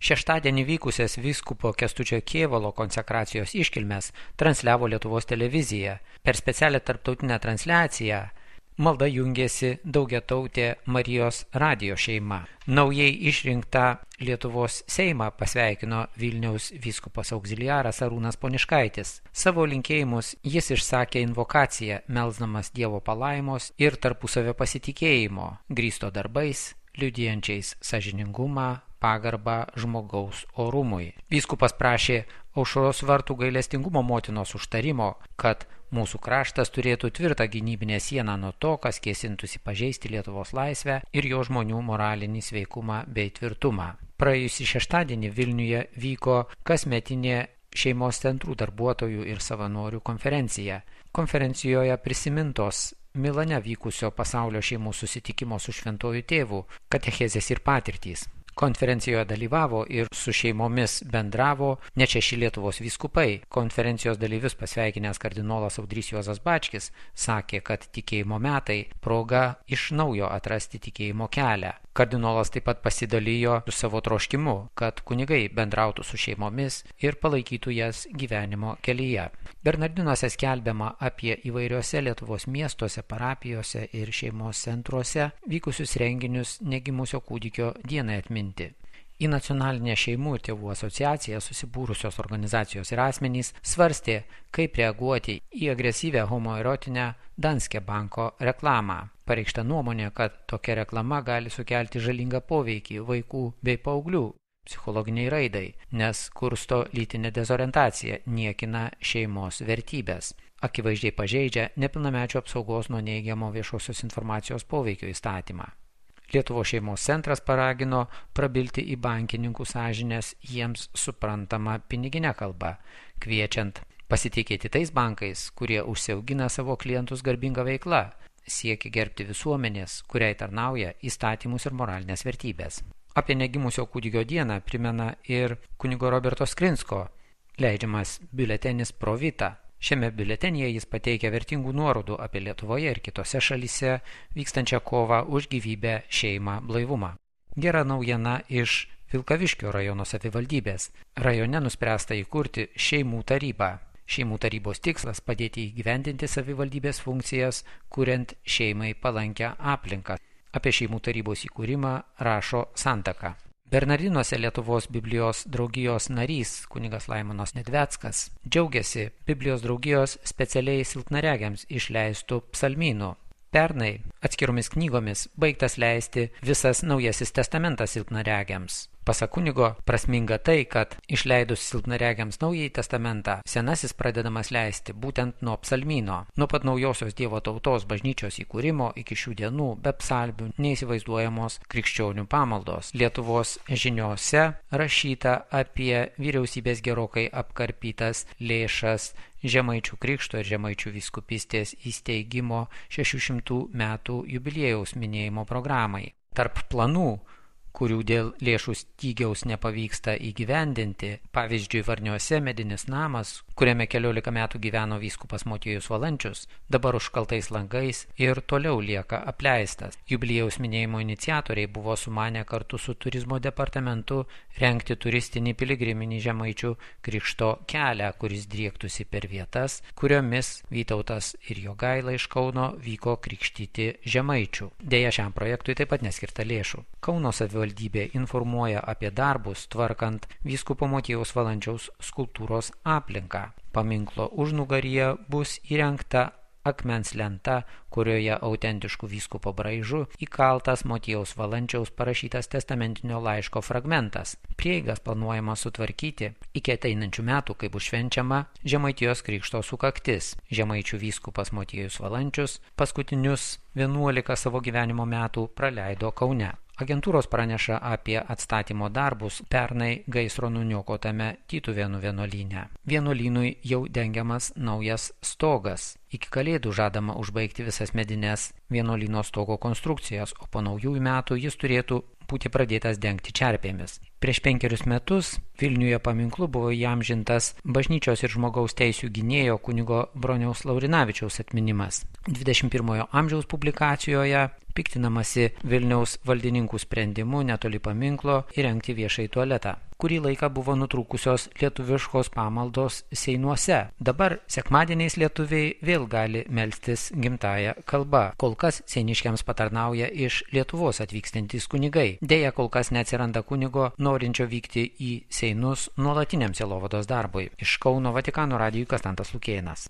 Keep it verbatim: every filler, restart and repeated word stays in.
Šeštadienį vykusias vyskupo Kęstučio Kėvalo konsekracijos iškilmes transliavo Lietuvos televizija. Per specialią tarptautinę transliaciją malda jungėsi daugiatautė Marijos radijo šeima. Naujai išrinktą Lietuvos Seimą pasveikino Vilniaus vyskupas auxiliaras Arūnas Poniškaitis. Savo linkėjimus jis išsakė invokaciją, melsdamas Dievo palaimos ir tarpusavio pasitikėjimo, grįsto darbais, liudijančiais sąžiningumą, pagarbą žmogaus orumui. Vyskupas prašė Aušros vartų gailestingumo motinos užtarimo, kad mūsų kraštas turėtų tvirtą gynybinę sieną nuo to, kas kėsintųsi pažeisti Lietuvos laisvę ir jo žmonių moralinį sveikumą bei tvirtumą. Praėjusį šeštadienį Vilniuje vyko kasmetinė šeimos centrų darbuotojų ir savanorių konferencija. Konferencijoje prisimintos Milane vykusio pasaulio šeimų susitikimo su šventuoju tėvu katechezės ir patirtys. Konferencijoje dalyvavo ir su šeimomis bendravo net šeši Lietuvos vyskupai. Konferencijos dalyvius pasveikinęs kardinolas Audrys Juozas Bačkis sakė, kad tikėjimo metai proga iš naujo atrasti tikėjimo kelią. Kardinolas taip pat pasidalijo su savo troškimu, kad kunigai bendrautų su šeimomis ir palaikytų jas gyvenimo kelyje. Bernardinuose skelbiama apie įvairiuose Lietuvos miestuose, parapijose ir šeimos centruose vykusius renginius negimusio kūdikio dienai atminti. Į nacionalinę šeimų ir tėvų asociaciją susibūrusios organizacijos ir asmenys svarstė, kaip reaguoti į agresyvę homoerotinę Danske banko reklamą. Pareikšta nuomonė, kad tokia reklama gali sukelti žalingą poveikį vaikų bei paauglių psichologiniai raidai, nes kursto lytinę dezorientaciją, niekina šeimos vertybės. Akivaizdžiai pažeidžia nepilnamečių apsaugos nuo neigiamo viešosios informacijos poveikio įstatymą. Lietuvos šeimos centras paragino prabilti į bankininkų sąžinės jiems suprantamą piniginę kalbą, kviečiant pasitikėti tais bankais, kurie užsiaugina savo klientus garbinga veikla, siekia gerbti visuomenės, kuriai tarnauja įstatymus ir moralinės vertybės. Apie negimusio kūdikio dieną primena ir kunigo Roberto Skrinsko leidžiamas biuletenis Pro Vita. Šiame biuletenyje jis pateikia vertingų nuorodų apie Lietuvoje ir kitose šalyse vykstančią kovą už gyvybę, šeimą, blaivumą. Gera naujiena iš Vilkaviškio rajono savivaldybės. Rajone nuspręsta įkurti šeimų tarybą. Šeimų tarybos tikslas padėti įgyvendinti savivaldybės funkcijas, kuriant šeimai palankę aplinką. Apie šeimų tarybos įkūrimą rašo Santaka. Bernardinuose Lietuvos Biblijos draugijos narys kunigas Laimonas Nedveckas džiaugiasi Biblijos draugijos specialiai silpnaregiams išleistų psalmynų. Pernai atskiromis knygomis baigtas leisti visas Naujasis testamentas silpnaregiams. Pasak kunigo, prasminga tai, kad išleidus silpnaregiams Naująjį testamentą, Senasis pradedamas leisti būtent nuo psalmyno. Nuo pat naujosios Dievo tautos bažnyčios įkūrimo iki šių dienų be psalmių neįsivaizduojamos krikščionių pamaldos. Lietuvos žiniose rašyta apie vyriausybės gerokai apkarpytas lėšas Žemaičių krikšto ir Žemaičių vyskupystės įsteigimo šešių šimtų metų jubiliejaus minėjimo programai. Tarp planų, kurių dėl lėšų stygiaus nepavyksta įgyvendinti, pavyzdžiui, Varniuose medinis namas, kuriame keliolika metų gyveno vyskupas Motiejus Valančius, dabar užkaltais langais ir toliau lieka apleistas. Jubiliejaus minėjimo iniciatoriai buvo sumanę kartu su turizmo departamentu rengti turistinį piligriminį Žemaičių krikšto kelią, kuris driektųsi per vietas, kuriomis Vytautas ir Jogaila iš Kauno vyko krikštyti žemaičių. Deja, šiam projektui taip pat neskirta lėšų. Kauno savivaldybė informuoja apie darbus tvarkant vyskupo Motiejaus Valančiaus skulptūros aplinką. Paminklo užnugaryje bus įrengta akmens lenta, kurioje autentiškų vyskupo braižu įkaltas Motiejaus Valančiaus parašytas testamentinio laiško fragmentas. Prieigas planuojama sutvarkyti iki ateinančių metų, kai bus švenčiama Žemaitijos krikšto sukaktis. Žemaičių vyskupas Motiejus Valančius paskutinius vienuolika savo gyvenimo metų praleido Kaune. Agentūros praneša apie atstatymo darbus pernai gaisro nuniokotame Tytuvėnų vienuolyne. Vienuolynui jau dengiamas naujas stogas. Iki Kalėdų žadama užbaigti visas medines vienuolyno stogo konstrukcijas, o po naujųjų metų jis turėtų būti pradėtas dengti čerpėmis. Prieš penkerius metus Vilniuje paminklu buvo įamžintas bažnyčios ir žmogaus teisių gynėjo kunigo Broniaus Laurinavičiaus atminimas. dvidešimt pirmojo amžiaus publikacijoje piktinamasi Vilniaus valdininkų sprendimu netoli paminklo įrengti viešąjį tualetą. kurį laiką buvo nutrūkusios lietuviškos pamaldos seinuose. Dabar sekmadieniais lietuviai vėl gali melstis gimtąja kalba. Kol kas seiniškiams patarnauja iš Lietuvos atvykstantys kunigai. Deja, kol kas neatsiranda kunigo, norinčio vykti į seinus nuolatiniam sielovados darbui. Iš Kauno Vatikano radijui Konstantas Lukėnas.